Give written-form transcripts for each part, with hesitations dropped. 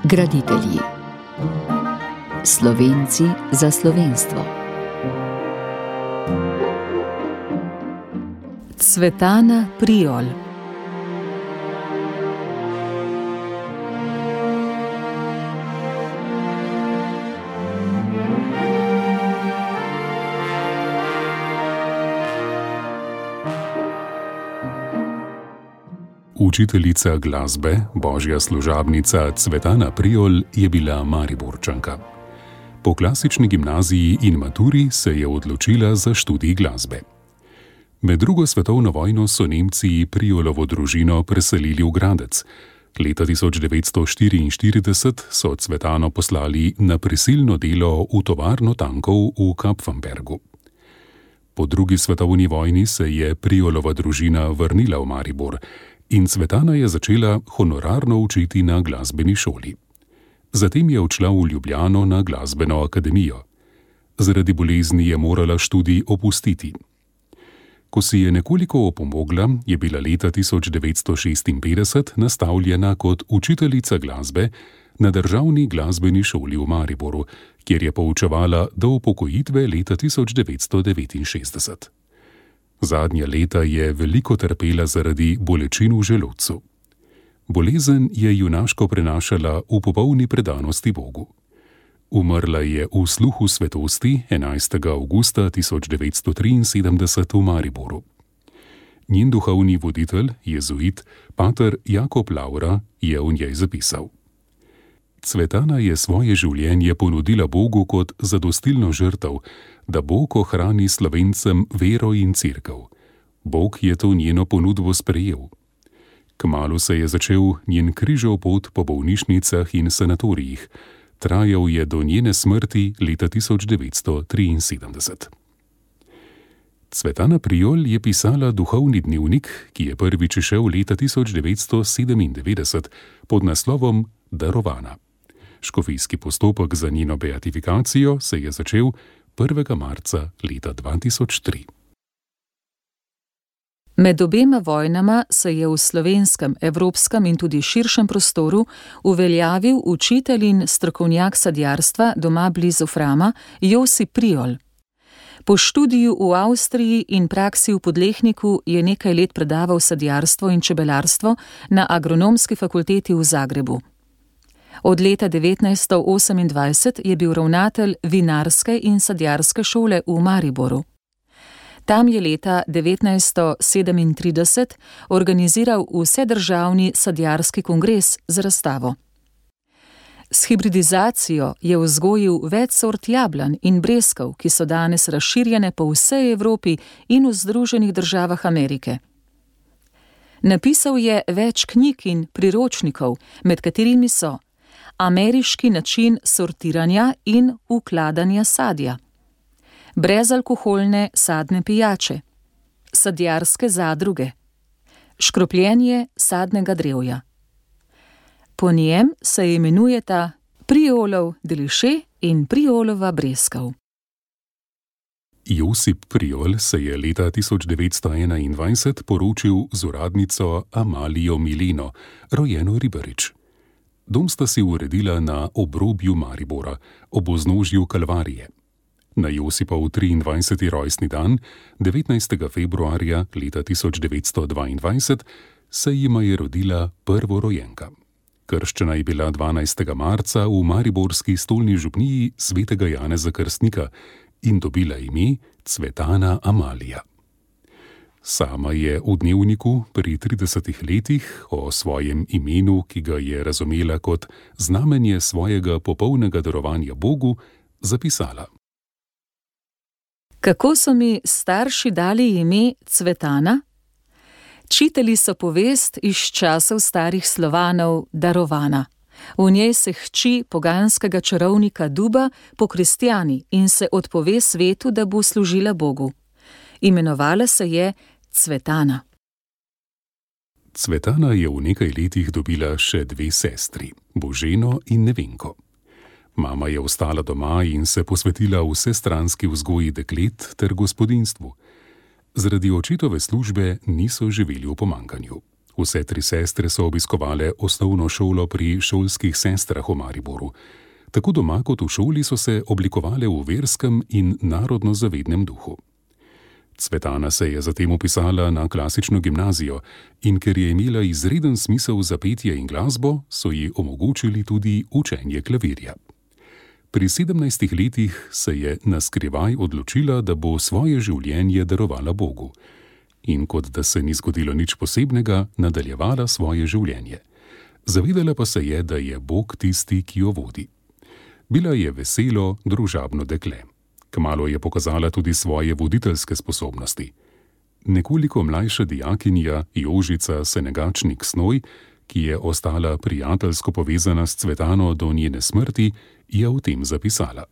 Graditelji. Slovenci za slovenstvo. Cvetana Priol. Učiteljica glasbe, božja služabnica Cvetana Priol je bila Mariborčanka. Po klasični gimnaziji in maturi se je odločila za študij glasbe. Med drugo svetovno vojno so Nemci Priolovo družino preselili v Gradec. Leta 1944 so Cvetano poslali na prisilno delo v tovarno tankov v Kapfenbergu. Po drugi svetovni vojni se je Priolova družina vrnila v Maribor in Cvetana je začela honorarno učiti na glasbeni šoli. Zatem je odšla v Ljubljano na glasbeno akademijo. Zaradi bolezni je morala študij opustiti. Ko si je nekoliko opomogla, je bila leta 1956 nastavljena kot učiteljica glasbe na Državni glasbeni šoli v Mariboru, kjer je poučevala do upokojitve leta 1969. Zadnja leta je veliko trpela zaradi bolečin v želodcu. Bolezen je junaško prenašala v popolni predanosti Bogu. Umrla je v sluhu svetosti 11. avgusta 1973 v Mariboru. Njen duhovni voditelj, jezuit, pater Jakob Laura, je v njej zapisal: Cvetana je svoje življenje ponudila Bogu kot zadostilno žrtev, da Bog ohrani Slovencem vero in cerkev. Bog je to njeno ponudbo sprejel. Kmalu se je začel njen križev pot po bolnišnicah in sanatorijih. Trajal je do njene smrti leta 1973. Cvetana Priol je pisala duhovni dnevnik, ki je prvič izšel leta 1997 pod naslovom Darovana. Škofijski postopek za njeno beatifikacijo se je začel 1. marca leta 2003. Med obema vojnama se je v slovenskem, evropskem in tudi širšem prostoru uveljavil učitelj in strokovnjak sadjarstva doma blizu Frama Josip Priol. Po študiju v Avstriji in praksi v Podlehniku je nekaj let predaval sadjarstvo in čebelarstvo na Agronomski fakulteti v Zagrebu. Od leta 1928 je bil ravnatelj vinarske in sadjarske šole v Mariboru. Tam je leta 1937 organiziral vsedržavni sadjarski kongres z razstavo. S hibridizacijo je vzgojil več sort jablan in breskov, ki so danes razširjene po vsej Evropi in v Združenih državah Amerike. Napisal je več knjig in priročnikov, med katerimi so Ameriški način sortiranja in ukladanja sadja, brezalkoholne sadne pijače, sadjarske zadruge, škropljenje sadnega drevja. Po njem se imenujeta Priolov deliše in Priolova breskov. Josip Priol se je leta 1921 poročil z uradnico Amalijo Mileno, rojeno Ribarič. Dom sta si uredila na obrobju Maribora, ob vznožju Kalvarije. Na Josipov 23. rojstni dan, 19. februarja leta 1922, se jima je rodila prvorojenka. Krščena je bila 12. marca v mariborski stolni župniji svetega Janeza Krstnika in dobila ime Cvetana Amalija. Sama je v dnevniku pri 30 letih o svojem imenu, ki ga je razumela kot znamenje svojega popolnega darovanja Bogu, zapisala: Kako so mi starši dali ime Cvetana? Čitali so povest iz časov starih Slovanov Darovana. V njej se hči poganskega čarovnika Duba pokristjani in se odpove svetu, da bo služila Bogu. Imenovala se je Cvetana. Cvetana je v nekaj letih dobila še dve sestri, Boženo in Nevenko. Mama je ostala doma in se posvetila vsestranski vzgoji deklet ter gospodinjstvu. Zaradi očetove službe niso živeli v pomanjkanju. Vse 3 sestre so obiskovale osnovno šolo pri šolskih sestrah v Mariboru. Tako doma kot v šoli so se oblikovale v verskem in narodno-zavednem duhu. Cvetana se je zatem vpisala na klasično gimnazijo in ker je imela izreden smisel za petje in glasbo, so ji omogočili tudi učenje klavirja. Pri 17 letih se je naskrivaj odločila, da bo svoje življenje darovala Bogu. In kot da se ni zgodilo nič posebnega, nadaljevala svoje življenje. Zavedala pa se je, da je Bog tisti, ki jo vodi. Bila je veselo, družabno dekle. Kmalu je pokazala tudi svoje voditeljske sposobnosti. Nekoliko mlajša dijakinja Jožica Senegačnik-Snoj, ki je ostala prijateljsko povezana s Cvetano do njene smrti, je o tem zapisala.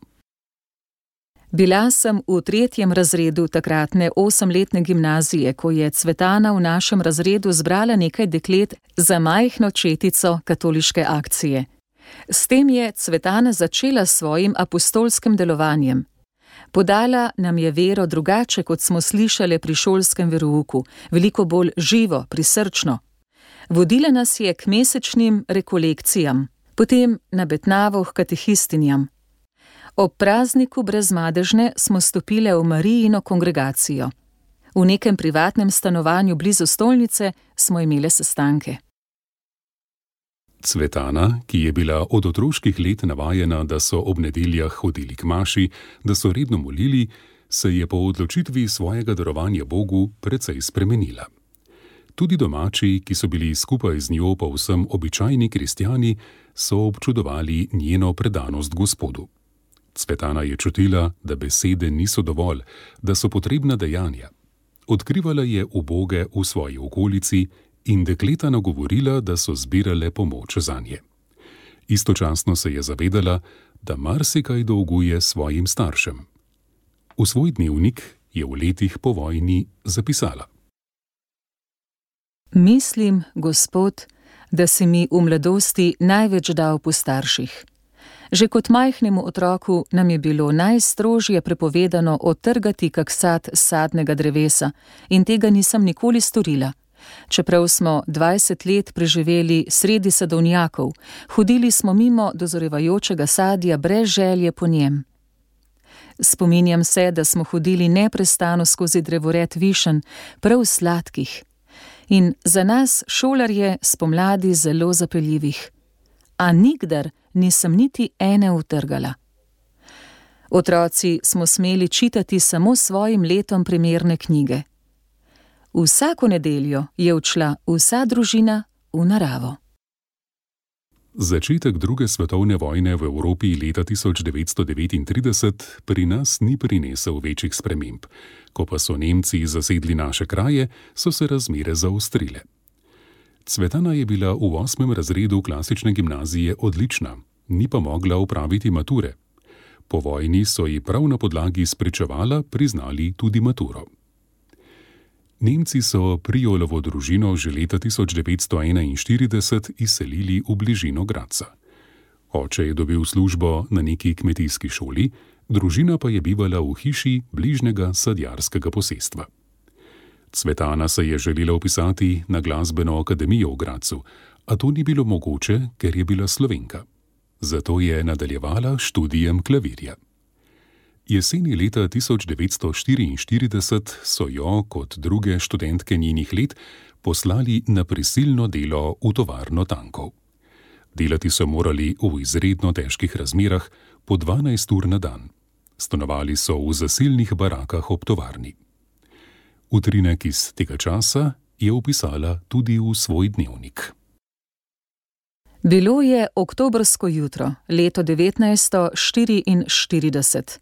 Bila sem v 3. razredu takratne 8-letne gimnazije, ko je Cvetana v našem razredu zbrala nekaj deklet za majhno četico katoliške akcije. S tem je Cvetana začela s svojim apostolskim delovanjem. Podala nam je vero drugače, kot smo slišali pri šolskem verouku, veliko bolj živo, prisrčno. Vodila nas je k mesečnim rekolekcijam, potem na Betnavo k katehistinjam. Ob prazniku Brezmadežne smo stopile v Marijino kongregacijo. V nekem privatnem stanovanju blizu stolnice smo imele sestanke. Cvetana, ki je bila od otroških let navajena, da so ob nedeljah hodili k maši, da so redno molili, se je po odločitvi svojega darovanja Bogu precej spremenila. Tudi domači, ki so bili skupaj z njo povsem običajni kristjani, so občudovali njeno predanost Gospodu. Cvetana je čutila, da besede niso dovolj, da so potrebna dejanja. Odkrivala je uboge v svoji okolici in dekleta nagovorila, da so zbirale pomoč zanje. Istočasno se je zavedala, da marsikaj dolguje svojim staršem. V svoj dnevnik je v letih po vojni zapisala. Mislim, Gospod, da si mi v mladosti največ dal po starših. Že kot majhnemu otroku nam je bilo najstrožje prepovedano odtrgati kak sad sadnega drevesa in tega nisem nikoli storila. Čeprav smo 20 let preživeli sredi sadovnjakov, hodili smo mimo dozorevajočega sadja brez želje po njem. Spominjam se, da smo hodili neprestano skozi drevored višen, prav sladkih. In za nas, šolarje, spomladi zelo zapeljivih. A nikdar nisem niti ene utrgala. Otroci smo smeli čitati samo svojim letom primerne knjige. Vsako nedeljo je odšla vsa družina v naravo. Začetek 2. svetovne vojne v Evropi leta 1939 pri nas ni prinesel večjih sprememb. Ko pa so Nemci zasedli naše kraje, so se razmere zaostrile. Cvetana je bila v 8. razredu klasične gimnazije odlična, ni pa mogla opraviti mature. Po vojni so ji prav na podlagi spričevala priznali tudi maturo. Nemci so Priolovo družino že leta 1941 izselili v bližino Gradca. Oče je dobil službo na neki kmetijski šoli, družina pa je bivala v hiši bližnjega sadjarskega posestva. Cvetana se je želela vpisati na glasbeno akademijo v Gradcu, a to ni bilo mogoče, ker je bila Slovenka. Zato je nadaljevala študijem klavirja. Jeseni leta 1944 so jo, kot druge študentke njenih let, poslali na prisilno delo v tovarno tankov. Delati so morali v izredno težkih razmerah po 12 ur na dan. Stanovali so v zasilnih barakah ob tovarni. Utrinek iz tega časa je vpisala tudi v svoj dnevnik. Bilo je oktobrsko jutro, leto 1944.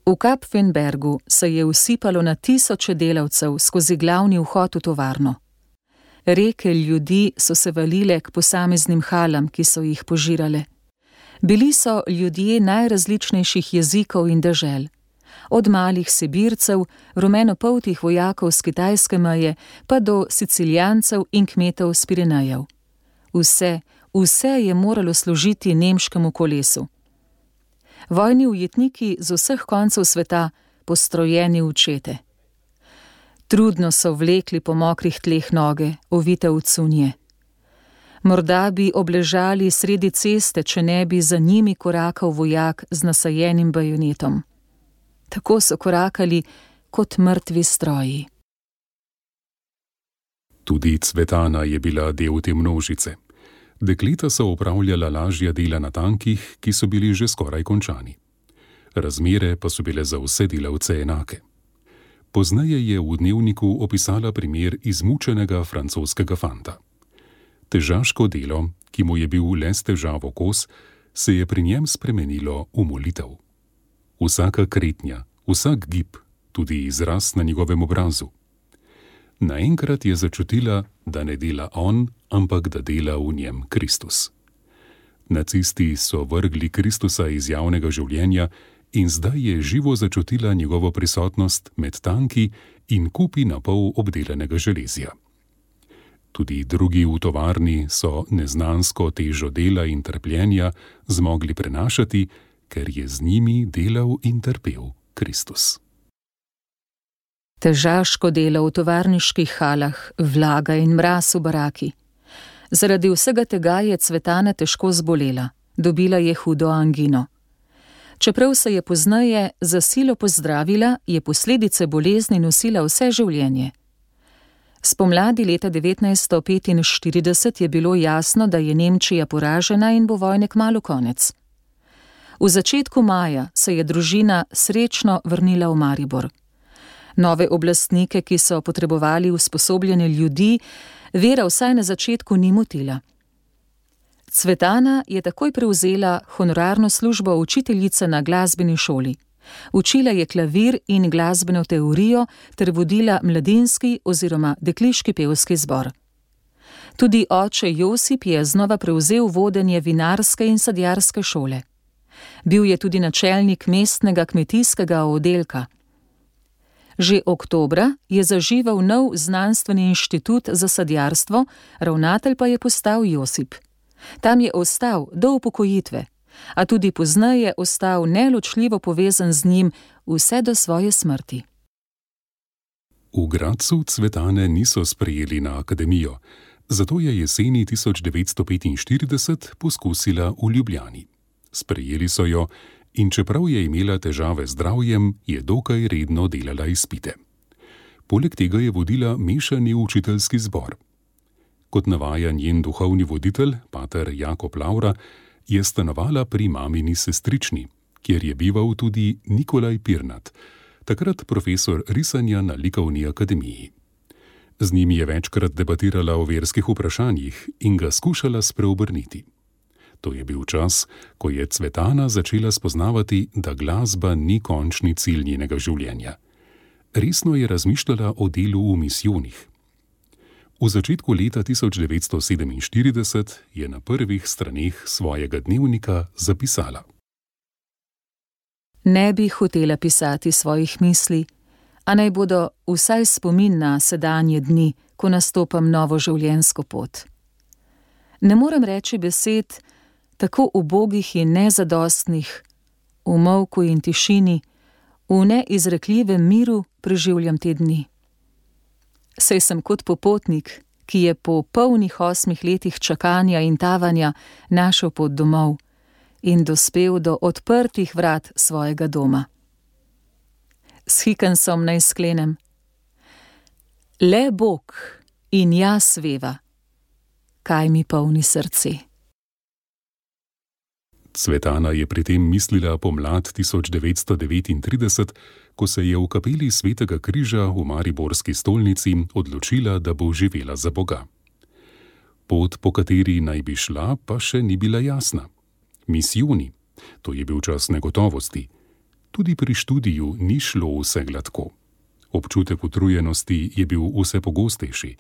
V Kapfenbergu se je usipalo na tisoče delavcev skozi glavni vhod v tovarno. Reke ljudi so se valile k posameznim halam, ki so jih požirale. Bili so ljudje najrazličnejših jezikov in dežel. Od malih Sibircev, rumenopoltih vojakov z kitajske meje, pa do Sicilijancev in kmetov z Pirenejev. Vse je moralo služiti nemškemu kolesu. Vojni ujetniki z vseh koncev sveta, postrojeni v čete. Trudno so vlekli po mokrih tleh noge, ovite v cunje. Morda bi obležali sredi ceste, če ne bi za njimi korakal vojak z nasajenim bajonetom. Tako so korakali kot mrtvi stroji. Tudi Cvetana je bila del te množice. Dekleta so opravljala lažja dela na tankih, ki so bili že skoraj končani. Razmere pa so bile za vse delavce enake. Pozneje je v dnevniku opisala primer izmučenega francoskega fanta. Težaško delo, ki mu je bil le s težavo kos, se je pri njem spremenilo v molitev. Vsaka kretnja, vsak gib, tudi izraz na njegovem obrazu. Naenkrat je začutila, da ne dela on, ampak da dela v njem Kristus. Nacisti so vrgli Kristusa iz javnega življenja in zdaj je živo začutila njegovo prisotnost med tanki in kupi na pol obdelanega železja. Tudi drugi v tovarni so neznansko težo dela in trpljenja zmogli prenašati, ker je z njimi delal in trpel Kristus. Težaško delo v tovarniških halah, vlaga in mraz v baraki. Zaradi vsega tega je Cvetana težko zbolela, dobila je hudo angino. Čeprav se je pozneje za silo pozdravila, je posledice bolezni nosila vse življenje. Spomladi leta 1945 je bilo jasno, da je Nemčija poražena in bo vojne kmalu konec. V začetku maja se je družina srečno vrnila v Maribor. Nove oblastnike, ki so potrebovali usposobljene ljudi, vera vsaj na začetku ni motila. Cvetana je takoj prevzela honorarno službo učiteljice na glasbeni šoli. Učila je klavir in glasbeno teorijo ter vodila mladinski oziroma dekliški pevski zbor. Tudi oče Josip je znova prevzel vodenje vinarske in sadjarske šole. Bil je tudi načelnik mestnega kmetijskega oddelka. Že oktobra je zaživel nov znanstveni inštitut za sadjarstvo, ravnatelj pa je postal Josip. Tam je ostal do upokojitve, a tudi pozneje ostal neločljivo povezan z njim vse do svoje smrti. V Gradcu Cvetane niso sprejeli na akademijo, zato je jeseni 1945 poskusila v Ljubljani. Sprejeli so jo in čeprav je imela težave z zdravjem, je dokaj redno delala izpite. Poleg tega je vodila mešani učiteljski zbor. Kot navaja njen duhovni voditelj, pater Jakob Lavra, je stanovala pri mamini sestrični, kjer je bival tudi Nikolaj Pirnat, takrat profesor risanja na likovni akademiji. Z njim je večkrat debatirala o verskih vprašanjih in ga skušala spreobrniti. To je bil čas, ko je Cvetana začela spoznavati, da glasba ni končni cilj njenega življenja. Resno je razmišljala o delu v misijonih. V začetku leta 1947 je na prvih straneh svojega dnevnika zapisala: Ne bi hotela pisati svojih misli, a naj bodo vsaj spomin na sedanje dni, ko nastopam novo življenjsko pot. Ne morem reči besed, tako ubogih in nezadostnih, v molku in tišini, v neizrekljivem miru preživljam te dni. Saj sem kot popotnik, ki je po polnih 8 letih čakanja in tavanja našel pot domov in dospel do odprtih vrat svojega doma. S Hickensom naj sklenem: Le Bog in jaz veva, kaj mi polni srce. Cvetana je pri tem mislila pomlad 1939, ko se je v kapeli Svetega križa v mariborski stolnici odločila, da bo živela za Boga. Pot, po kateri naj bi šla, pa še ni bila jasna. Misijoni, to je bil čas negotovosti. Tudi pri študiju ni šlo vse gladko. Občutek utrujenosti je bil vse pogostejši.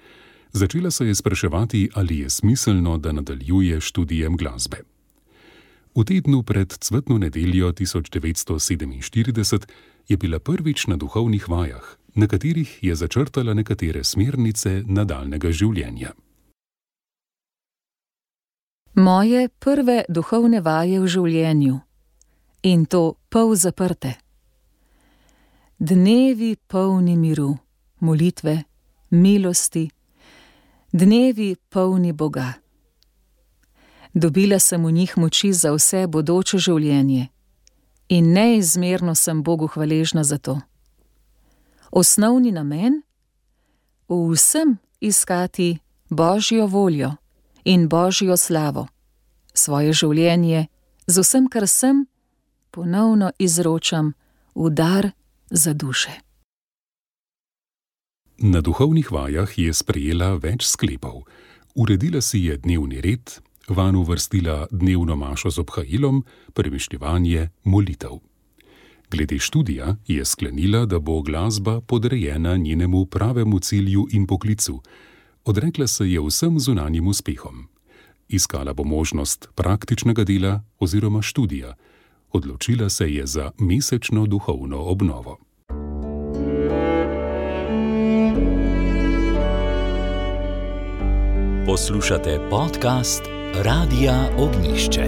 Začela se je spraševati, ali je smiselno, da nadaljuje študijem glasbe. V tednu pred cvetno nedeljo 1947 je bila prvič na duhovnih vajah, na katerih je začrtala nekatere smernice nadaljnega življenja. Moje prve duhovne vaje v življenju, in to pol zaprte. Dnevi polni miru, molitve, milosti, dnevi polni Boga. Dobila sem v njih moči za vse bodoče življenje in neizmerno sem Bogu hvaležna za to. Osnovni namen? V vsem iskati Božjo voljo in Božjo slavo. Svoje življenje z vsem, kar sem, ponovno izročam v dar za duše. Na duhovnih vajah je sprejela več sklepov. Uredila si je dnevni red, vanj uvrstila dnevno mašo z obhajilom, premišljevanje, molitev. Glede študija je sklenila, da bo glasba podrejena njenemu pravemu cilju in poklicu. Odrekla se je vsem zunanjim uspehom. Iskala bo možnost praktičnega dela oziroma študija. Odločila se je za mesečno duhovno obnovo. Poslušate podcast Radia Ognjišče.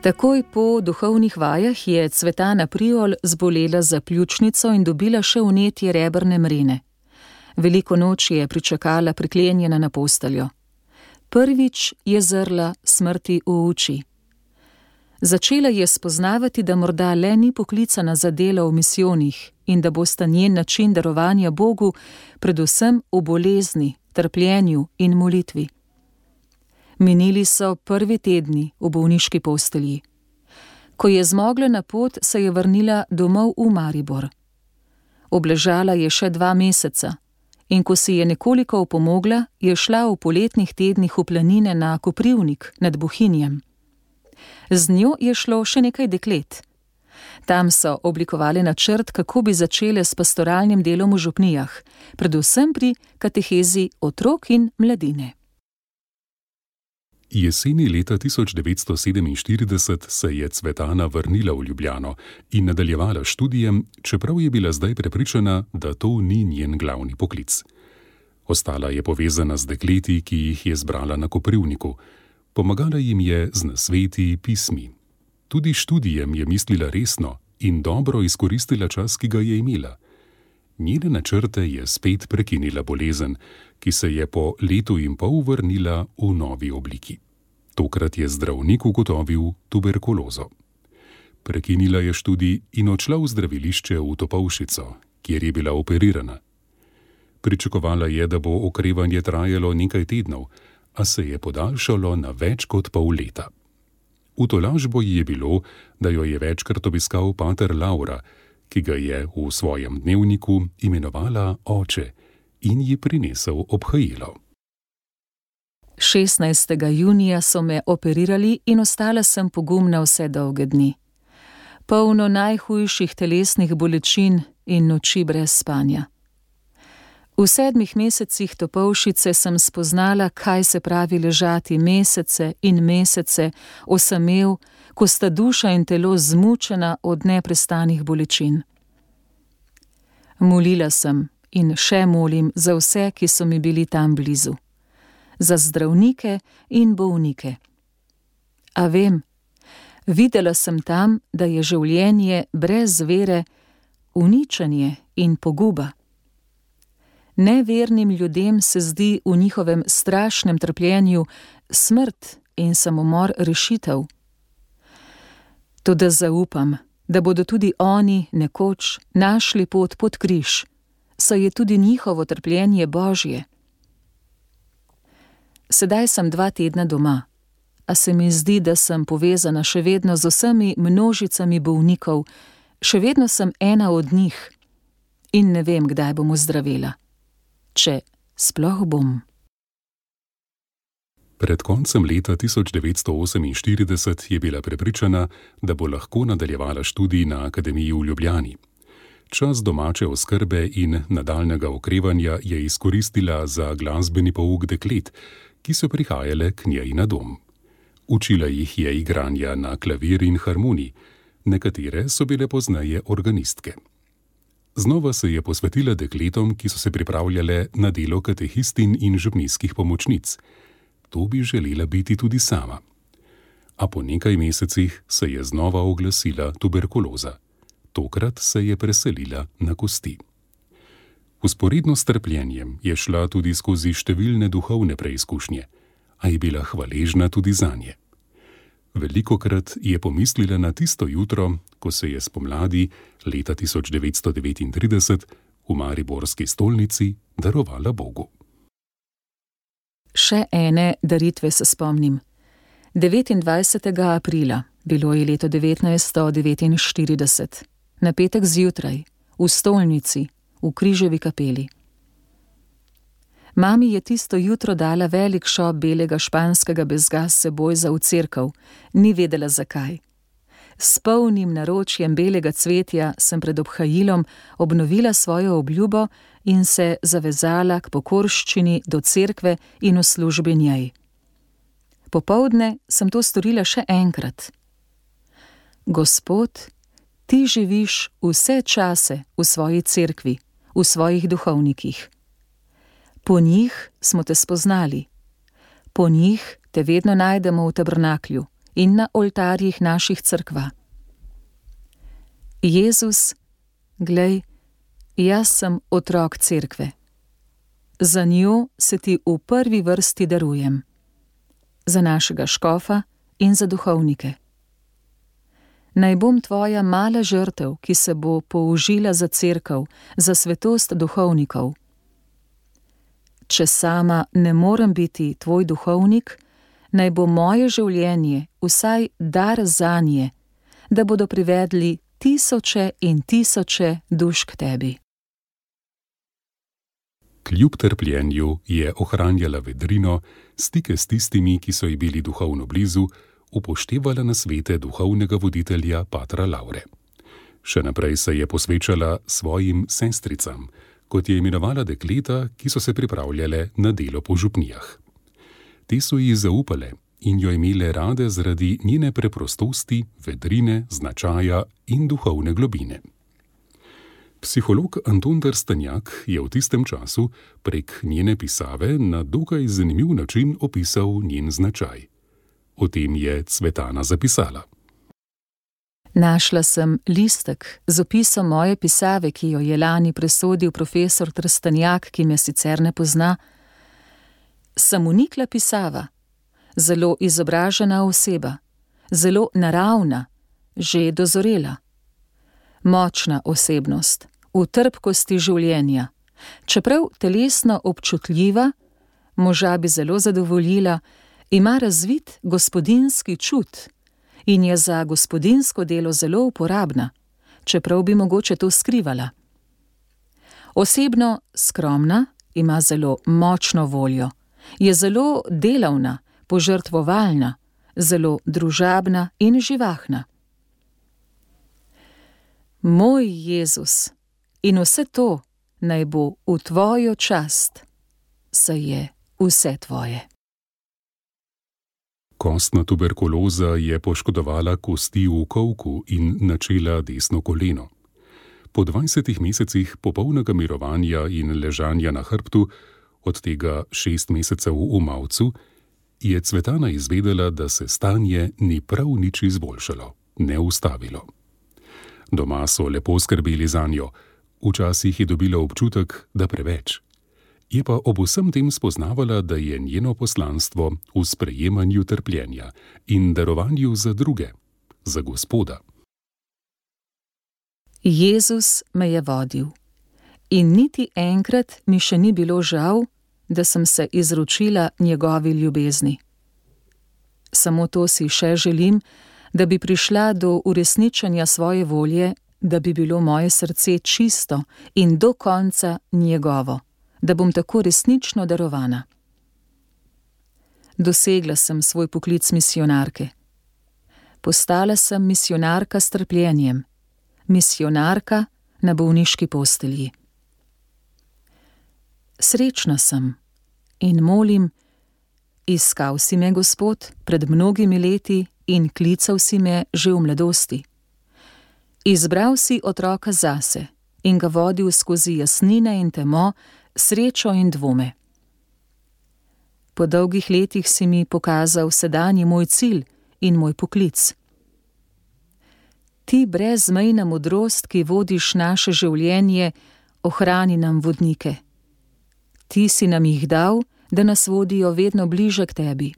Takoj po duhovnih vajah je Cvetana Priol zbolela za pljučnico in dobila še vnetje rebrne mrene. Veliko noč je pričakala priklenjena na posteljo. Prvič je zrla smrti v oči. Začela je spoznavati, da morda le ni poklicana za delo v misijonih in da bosta njen način darovanja Bogu predvsem v bolezni, trpljenju in molitvi. Minili so prvi tedni v bolniški postelji. Ko je zmogla na pot, se je vrnila domov v Maribor. Obležala je še 2 meseca in ko si je nekoliko opomogla, je šla v poletnih tednih v planine na Koprivnik nad Bohinjem. Z njo je šlo še nekaj deklet. Tam so oblikovali načrt, kako bi začele s pastoralnim delom v župnijah, predvsem pri katehezi otrok in mladine. Jeseni leta 1947 se je Cvetana vrnila v Ljubljano in nadaljevala študijem, čeprav je bila zdaj prepričana, da to ni njen glavni poklic. Ostala je povezana z dekleti, ki jih je zbrala na Koprivniku. Pomagala jim je z nasveti, pismi. Tudi študijem je mislila resno in dobro izkoristila čas, ki ga je imela. Njene načrte je spet prekinila bolezen, ki se je po 1,5 leta vrnila v novi obliki. Tokrat je zdravnik ugotovil tuberkulozo. Prekinila je študij in odšla v zdravilišče v Topolšico, kjer je bila operirana. Pričakovala je, da bo okrevanje trajalo nekaj tednov, a se je podaljšalo na več kot pol leta. V tolažbo ji je bilo, da jo je večkrat obiskal pater Laura, ki ga je v svojem dnevniku imenovala oče in ji prinesel obhajilo. 16. junija so me operirali in ostala sem pogumna vse dolge dni. Polno najhujših telesnih bolečin in noči brez spanja. V 7 mesecih Topolšice sem spoznala, kaj se pravi ležati mesece in mesece osamel, ko sta duša in telo zmučena od neprestanih bolečin. Molila sem in še molim za vse, ki so mi bili tam blizu. Za zdravnike in bolnike. A vem, videla sem tam, da je življenje brez vere uničenje in poguba. Nevernim ljudem se zdi v njihovem strašnem trpljenju smrt in samomor rešitev. Toda zaupam, da bodo tudi oni nekoč našli pot pod križ, saj je tudi njihovo trpljenje Božje. Sedaj sem 2 tedna doma, a se mi zdi, da sem povezana še vedno z vsemi množicami bolnikov, še vedno sem ena od njih in ne vem, kdaj bom ozdravela. Če sploh bom. Pred koncem leta 1948 je bila prepričana, da bo lahko nadaljevala študij na Akademiji v Ljubljani. Čas domače oskrbe in nadaljnjega okrevanja je izkoristila za glasbeni pouk deklet, ki so prihajale k njej na dom. Učila jih je igranja na klavir in harmonij, nekatere so bile pozneje organistke. Znova se je posvetila dekletom, ki so se pripravljale na delo katehistin in župnijskih pomočnic. To bi želela biti tudi sama. a po nekaj mesecih se je znova oglasila tuberkuloza. Tokrat se je preselila na kosti. Vzporedno s trpljenjem je šla tudi skozi številne duhovne preizkušnje, a je bila hvaležna tudi zanje. Velikokrat je pomislila na tisto jutro, ko se je spomladi leta 1939 v mariborski stolnici darovala Bogu. Še ene daritve se spomnim. 29. aprila, bilo je leto 1949, na petek zjutraj, v stolnici, v Križevi kapeli. Mami je tisto jutro dala velik šop belega španskega bezga s seboj za v cerkev, ni vedela zakaj. S polnim naročjem belega cvetja sem pred obhajilom obnovila svojo obljubo in se zavezala k pokorščini do cerkve in v službi njej. Popoldne sem to storila še enkrat. Gospod, ti živiš vse čase v svoji cerkvi, v svojih duhovnikih. Po njih smo te spoznali. Po njih te vedno najdemo v tabernaklju in na oltarjih naših cerkva. Jezus, glej, jaz sem otrok cerkve. Za njo se ti v prvi vrsti darujem. Za našega škofa in za duhovnike. Naj bom tvoja mala žrtev, ki se bo použila za cerkev, za svetost duhovnikov. Če sama ne morem biti tvoj duhovnik, naj bo moje življenje vsaj dar zanje, da bodo privedli tisoče in tisoče duš k tebi. Kljub trpljenju je ohranjala vedrino, stike s tistimi, ki so ji bili duhovno blizu, upoštevala nasvete duhovnega voditelja patra Laure. Še naprej se je posvečala svojim sestricam, kot je imenovala dekleta, ki so se pripravljale na delo po župnijah. Te so ji zaupale in jo imele rade zaradi njene preprostosti, vedrine, značaja in duhovne globine. Psiholog Anton Trstenjak je v tistem času prek njene pisave na dokaj zanimiv način opisal njen značaj. O tem je Cvetana zapisala. Našla sem listek z opisom moje pisave, ki jo je lani presodil profesor Trstenjak, ki me sicer ne pozna. Sem unikla pisava, zelo izobražena oseba, zelo naravna, že dozorela. Močna osebnost, v trpkosti življenja, čeprav telesno občutljiva, moža bi zelo zadovoljila, ima razvit gospodinjski čut in je za gospodinjsko delo zelo uporabna, čeprav bi mogoče to skrivala. Osebno skromna, ima zelo močno voljo, je zelo delavna, požrtvovalna, zelo družabna in živahna. Moj Jezus, in vse to naj bo v tvojo čast, saj je vse tvoje. Kostna tuberkuloza je poškodovala kosti v kolku in načela desno koleno. Po 20 mesecih popolnega mirovanja in ležanja na hrbtu, od tega 6 mesecev v mavcu, je Cvetana izvedela, da se stanje ni prav nič izboljšalo, ne ustavilo. Doma so lepo skrbeli zanjo, včasih je dobila občutek, da preveč. Je pa ob vsem tem spoznavala, da je njeno poslanstvo v sprejemanju trpljenja in darovanju za druge, za Gospoda. Jezus me je vodil in niti enkrat mi še ni bilo žal, da sem se izročila njegovi ljubezni. Samo to si še želim, da bi prišla do uresničenja svoje volje, da bi bilo moje srce čisto in do konca njegovo, da bom tako resnično darovana. Dosegla sem svoj poklic misijonarke. Postala sem misijonarka s trpljenjem, misijonarka na bolniški postelji. Srečna sem in molim, iskal si me, Gospod, pred mnogimi leti in klical si me že v mladosti. Izbral si otroka zase in ga vodil skozi jasnine in temo, srečo in dvome. Po dolgih letih si mi pokazal sedanji moj cilj in moj poklic. Ti brezmejna modrost, ki vodiš naše življenje, ohrani nam vodnike. Ti si nam jih dal, da nas vodijo vedno bliže k tebi.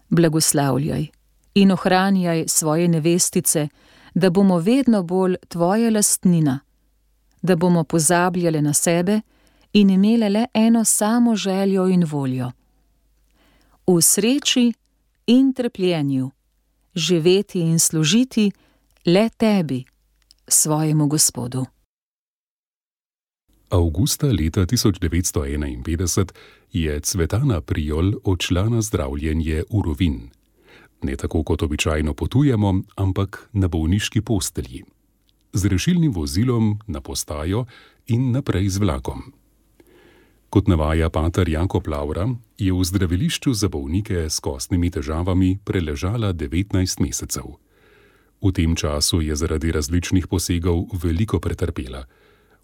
Blagoslavljaj in ohranjaj svoje nevestice, da bomo vedno bolj tvoja lastnina, da bomo pozabljale na sebe in imele le eno samo željo in voljo. V sreči in trpljenju živeti in služiti le tebi, svojemu Gospodu. Avgusta leta 1951 je Cvetana Priol odšla na zdravljenje v Rovinj. Ne tako, kot običajno potujemo, ampak na bolniški postelji. Z rešilnim vozilom na postajo in naprej z vlakom. Kot navaja pater Jakob Lavra, je v zdravilišču za bolnike s kostnimi težavami preležala 19 mesecev. V tem času je zaradi različnih posegov veliko pretrpela.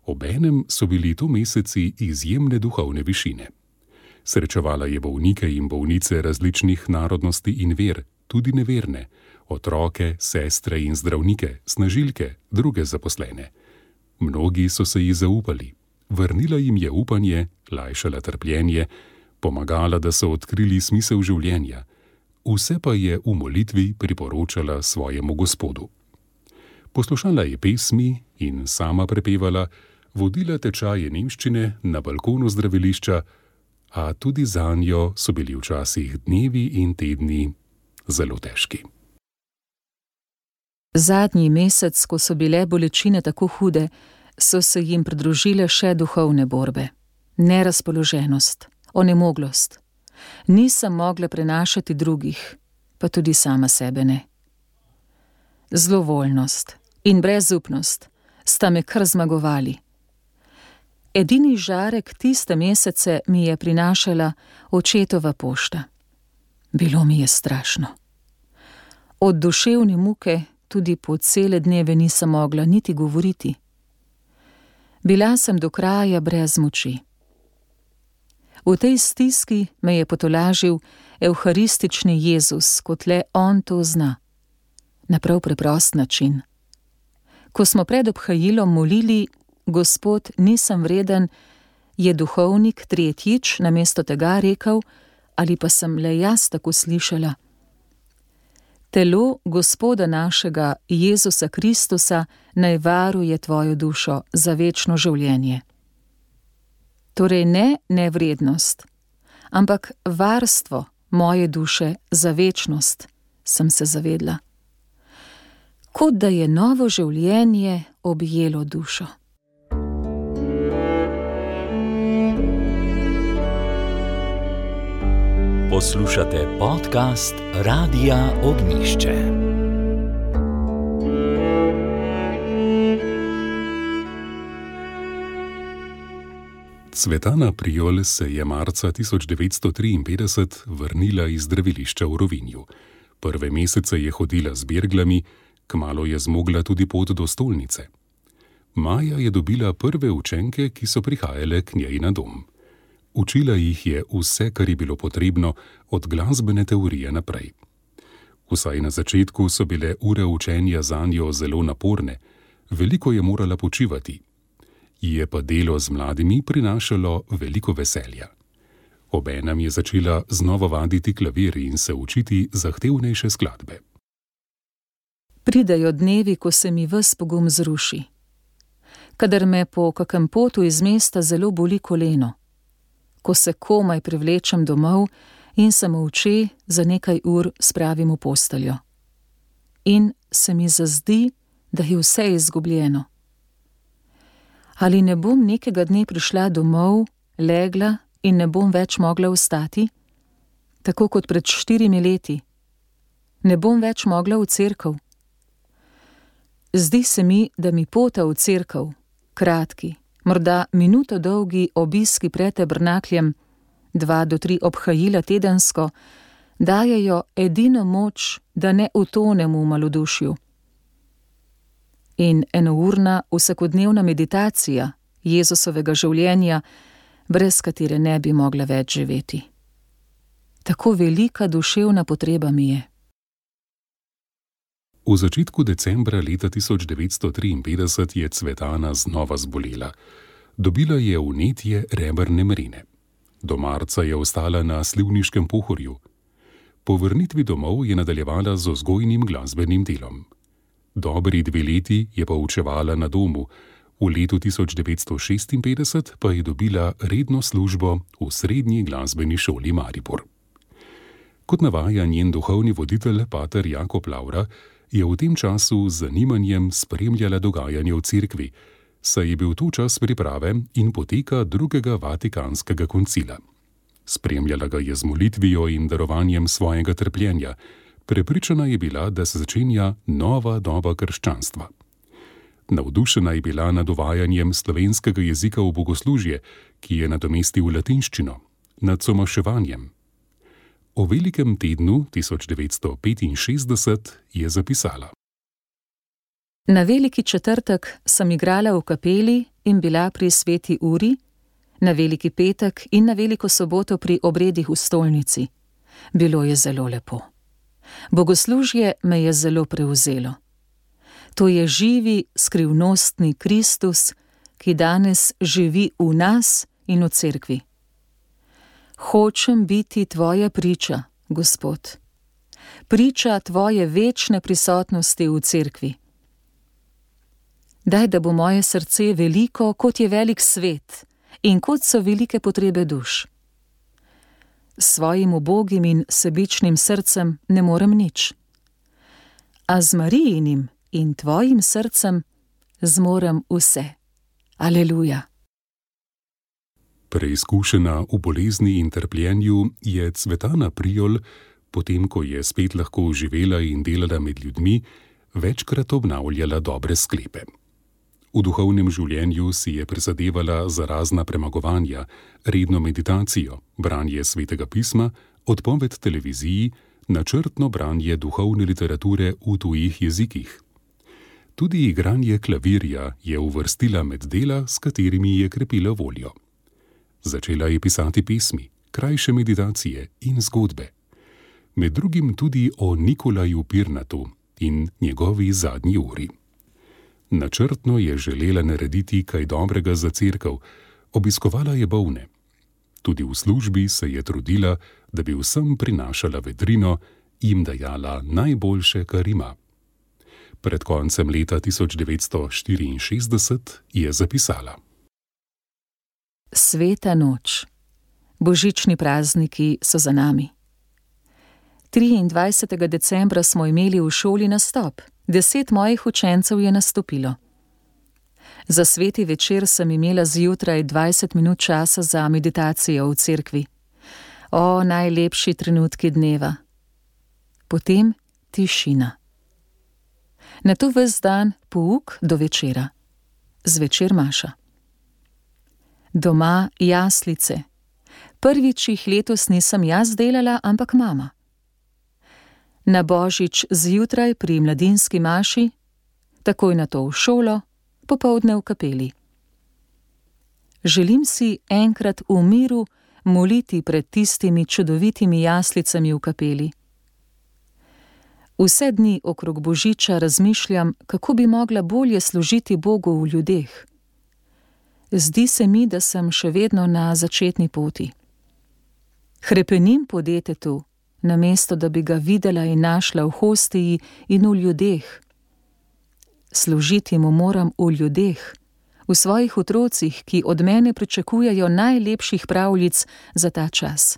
Obenem so bili to meseci izjemne duhovne višine. Srečevala je bolnike in bolnice različnih narodnosti in ver, tudi neverne, otroke, sestre in zdravnike, snažilke, druge zaposlene. Mnogi so se ji zaupali. Vrnila jim je upanje, lajšala trpljenje, pomagala, da so odkrili smisel življenja. Vse pa je v molitvi priporočala svojemu Gospodu. Poslušala je pesmi in sama prepevala, vodila tečaje nemščine na balkonu zdravilišča, a tudi zanjo so bili včasih dnevi in tedni zelo težki. Zadnji mesec, ko so bile bolečine tako hude, so se jim pridružile še duhovne borbe. Nerazpoloženost, onemoglost. Nisem mogla prenašati drugih, pa tudi sama sebe ne. Zlovoljnost in brezupnost sta me kar zmagovali. Edini žarek tiste mesece mi je prinašala očetova pošta. Bilo mi je strašno. Od duševne muke tudi po cele dneve nisem mogla niti govoriti. Bila sem do kraja brez moči. V tej stiski me je potolažil evharistični Jezus, kot le on to zna. Na prav preprost način. Ko smo pred obhajilom molili Gospod, nisem vreden, je duhovnik tretjič namesto tega rekel, ali pa sem le jaz tako slišala. Telo Gospoda našega Jezusa Kristusa naj varuje tvojo dušo za večno življenje. Torej ne nevrednost, ampak varstvo moje duše za večnost, sem se zavedla. Kot da je novo življenje objelo dušo. Poslušate podcast Radia Ognišče. Cvetana Priol se je marca 1953 vrnila iz zdravilišča v Rovinju. Prve mesece je hodila z berglami, kmalu je zmogla tudi pot do stolnice. Maja je dobila prve učenke, ki so prihajale k njej na dom. Učila jih je vse, kar je bilo potrebno, od glasbene teorije naprej. Vsaj na začetku so bile ure učenja zanjo zelo naporne, veliko je morala počivati. Je pa delo z mladimi prinašalo veliko veselja. Obenem je začela znova vaditi klavir in se učiti zahtevnejše skladbe. Pridejo dnevi, ko se mi ves pogum zruši. Kadar me po kakem potu iz mesta zelo boli koleno. Ko se komaj privlečem domov in se molče za nekaj ur spravim v posteljo. In se mi zazdi, da je vse izgubljeno. Ali ne bom nekega dne prišla domov, legla in ne bom več mogla vstati? Tako kot pred 4 leti. Ne bom več mogla v cerkev. Zdi se mi, da mi pota v cerkev, kratki, morda minuto dolgi obiski pred tabernakljem, 2 do 3 obhajila tedensko, dajejo edino moč, da ne utonem v malodušju. In enourna vsakodnevna meditacija Jezusovega življenja, brez katere ne bi mogla več živeti. Tako velika duševna potreba mi je. V začetku decembra leta 1953 je Cvetana znova zbolela. Dobila je vnetje rebrne mrene. Do marca je ostala na slivniškem Pohorju. Po vrnitvi domov je nadaljevala z vzgojnim glasbenim delom. Dobri 2 leti je poučevala na domu, v letu 1956 pa je dobila redno službo v Srednji glasbeni šoli Maribor. Kot navaja njen duhovni voditelj, pater Jakob Lavra, je v tem času z zanimanjem spremljala dogajanje v cerkvi, saj je bil to čas priprave in poteka drugega Vatikanskega koncila. Spremljala ga je z molitvijo in darovanjem svojega trpljenja. Prepričana je bila, da se začenja nova doba krščanstva. Navdušena je bila nad uvajanjem slovenskega jezika v bogoslužje, ki je nadomestil latinščino, nad somaševanjem. O velikem tednu 1965 je zapisala: Na veliki četrtek sem igrala v kapeli in bila pri sveti uri, na veliki petek in na veliko soboto pri obredih v stolnici. Bilo je zelo lepo. Bogoslužje me je zelo prevzelo. To je živi, skrivnostni Kristus, ki danes živi v nas in v cerkvi. Hočem biti tvoja priča, Gospod. Priča tvoje večne prisotnosti v cerkvi. Daj, da bo moje srce veliko, kot je velik svet in kot so velike potrebe duš. S svojim ubogim in sebičnim srcem ne morem nič. A z Marijinim in tvojim srcem zmorem vse. Aleluja. Preizkušena v bolezni in trpljenju je Cvetana Priol, potem ko je spet lahko živela in delala med ljudmi, večkrat obnavljala dobre sklepe. V duhovnem življenju si je prizadevala za razna premagovanja, redno meditacijo, branje svetega pisma, odpoved televiziji, načrtno branje duhovne literature v tujih jezikih. Tudi igranje klavirja je uvrstila med dela, s katerimi je krepila voljo. Začela je pisati pesmi, krajše meditacije in zgodbe. Med drugim tudi o Nikolaju Pirnatu in njegovi zadnji uri. Načrtno je želela narediti kaj dobrega za cerkev, obiskovala je bolne. Tudi v službi se je trudila, da bi vsem prinašala vedrino, jim dajala najboljše, kar ima. Pred koncem leta 1964 je zapisala: Sveta noč. Božični prazniki so za nami. 23. decembra smo imeli v šoli nastop. 10 mojih učencev je nastopilo. Za sveti večer sem imela zjutraj 20 minut časa za meditacijo v cerkvi. O, najlepši trenutki dneva. Potem tišina. Nato ves dan pouk do večera. Zvečer maša. Doma jaslice. Prvič jih letos nisem jaz delala, ampak mama. Na Božič zjutraj pri mladinski maši, takoj nato v šolo, popoldne v kapeli. Želim si enkrat v miru moliti pred tistimi čudovitimi jaslicami v kapeli. Vse dni okrog Božiča razmišljam, kako bi mogla bolje služiti Bogu v ljudeh. Zdi se mi, da sem še vedno na začetni poti. Hrepenim po detetu, namesto da bi ga videla in našla v hostiji in v ljudeh. Služiti mu moram v ljudeh, v svojih otrocih, ki od mene pričakujejo najlepših pravljic za ta čas.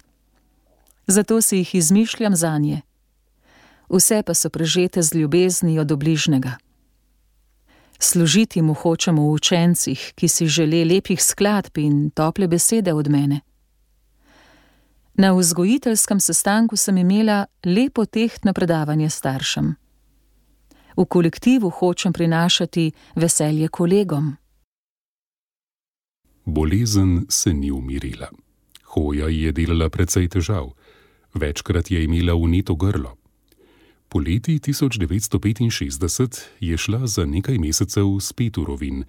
Zato si jih izmišljam zanje. Vse pa so prežete z ljubeznijo do bližnjega. Služiti mu hočemo v učencih, ki si žele lepih skladb in tople besede od mene. Na vzgojiteljskem sestanku sem imela lepo tehtno predavanje staršem. V kolektivu hočem prinašati veselje kolegom. Bolezen se ni umirila. Hoja je delala precej težav. Večkrat je imela vneto grlo. Poleti 1965 je šla za nekaj mesecev spet v Rovinj,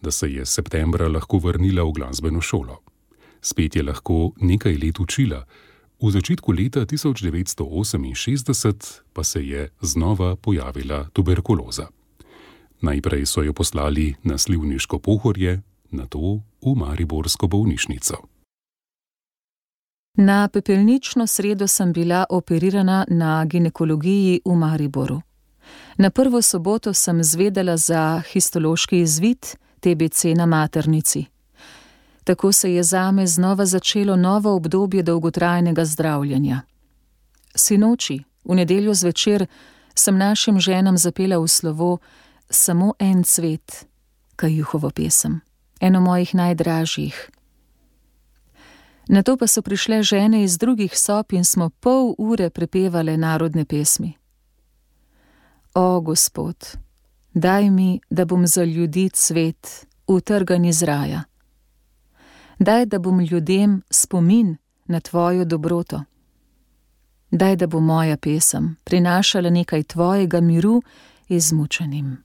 da se je septembra lahko vrnila v glasbeno šolo. Spet je lahko nekaj let učila, V začetku leta 1968 pa se je znova pojavila tuberkuloza. Najprej so jo poslali na Slivniško Pohorje, nato v mariborsko bolnišnico. Na pepelnično sredo sem bila operirana na ginekologiji v Mariboru. Na prvo soboto sem zvedela za histološki izvid TBC na maternici. Tako se je zame znova začelo novo obdobje dolgotrajnega zdravljenja. Sinoči, v nedeljo zvečer, sem našim ženam zapela v slovo Samo en cvet, Kajuhovo pesem, eno mojih najdražjih. Nato pa so prišle žene iz drugih sob in smo pol ure prepevale narodne pesmi. O, Gospod, daj mi, da bom za ljudi cvet, utrgan iz raja. Daj, da bom ljudem spomin na tvojo dobroto. Daj, da bo moja pesem prinašala nekaj tvojega miru izmučenim.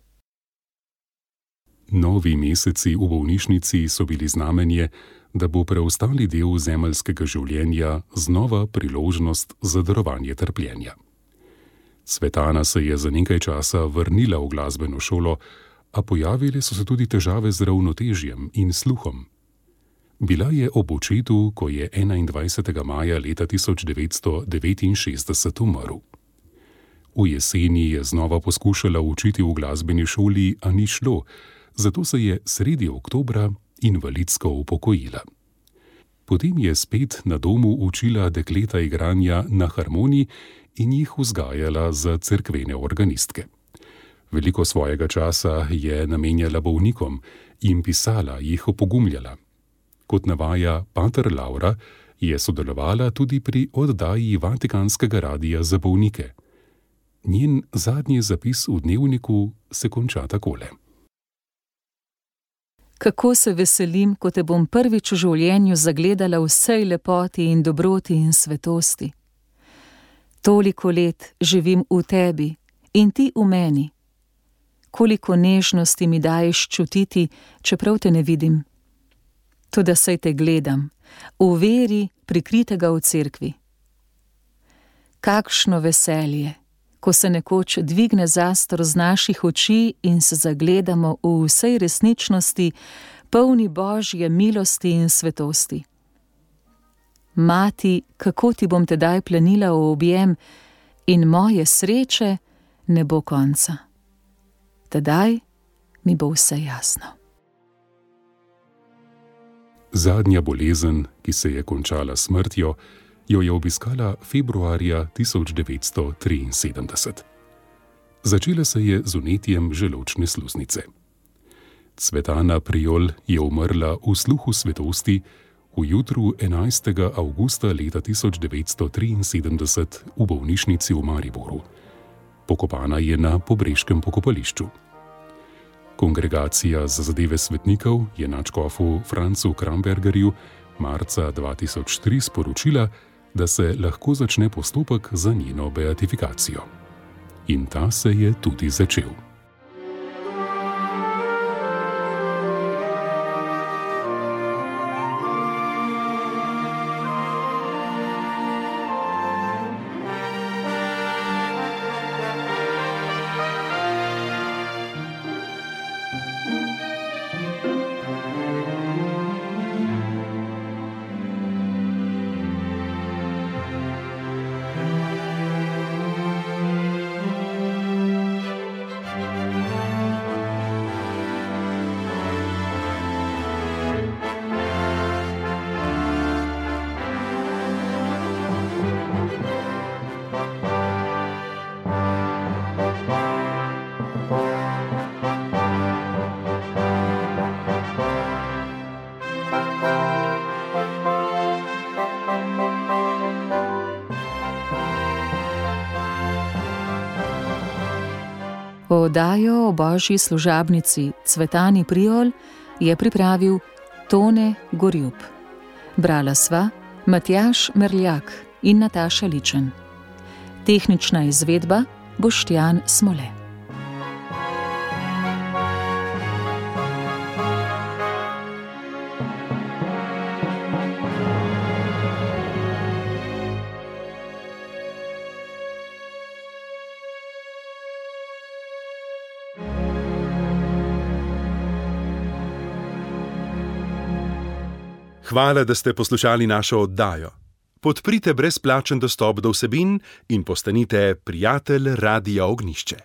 Novi meseci v bolnišnici so bili znamenje, da bo preostali del zemeljskega življenja znova priložnost za darovanje trpljenja. Cvetana se je za nekaj časa vrnila v glasbeno šolo, a pojavile so se tudi težave z ravnotežjem in sluhom. Bila je ob očetu, ko je 21. maja leta 1969 umrl. V jeseni je znova poskušala učiti v glasbeni šoli, a ni šlo, zato se je sredi oktobra invalidsko upokojila. Potem je spet na domu učila dekleta igranja na harmoniji in jih vzgajala za cerkvene organistke. Veliko svojega časa je namenjala bolnikom in pisala, jih opogumljala. Kot navaja pater Laura, je sodelovala tudi pri oddaji Vatikanskega radia za bolnike. Njen zadnji zapis v dnevniku se konča takole. Kako se veselim, ko te bom prvič v življenju zagledala v vsej lepoti in dobroti in svetosti. Toliko let živim v tebi in ti v meni. Koliko nežnosti mi daješ čutiti, čeprav te ne vidim. Toda saj te gledam, v veri prikritega v cerkvi. Kakšno veselje, ko se nekoč dvigne zastor z naših oči in se zagledamo v vsej resničnosti, polni Božje milosti in svetosti. Mati, kako ti bom tedaj plenila v objem in moje sreče ne bo konca. Tedaj mi bo vse jasno. Zadnja bolezen, ki se je končala s smrtjo, jo je obiskala februarja 1973. Začela se je z vnetjem želodčne sluznice. Cvetana Priol je umrla v sluhu svetosti v jutru 11. avgusta leta 1973 v bolnišnici v Mariboru. Pokopana je na Pobreškem pokopališču. Kongregacija za zadeve svetnikov je nadškofu Francu Krambergerju marca 2003 sporočila, da se lahko začne postopek za njeno beatifikacijo. In ta se je tudi začel. Oddajo o božji služabnici Cvetani Priol je pripravil Tone Gorjup. Brala sva Matjaž Merljak in Nataša Ličen. Tehnična izvedba Boštjan Smole. Hvala, da ste poslušali našo oddajo. Podprite brezplačen dostop do vsebin in postanite prijatelj Radia Ognjišče.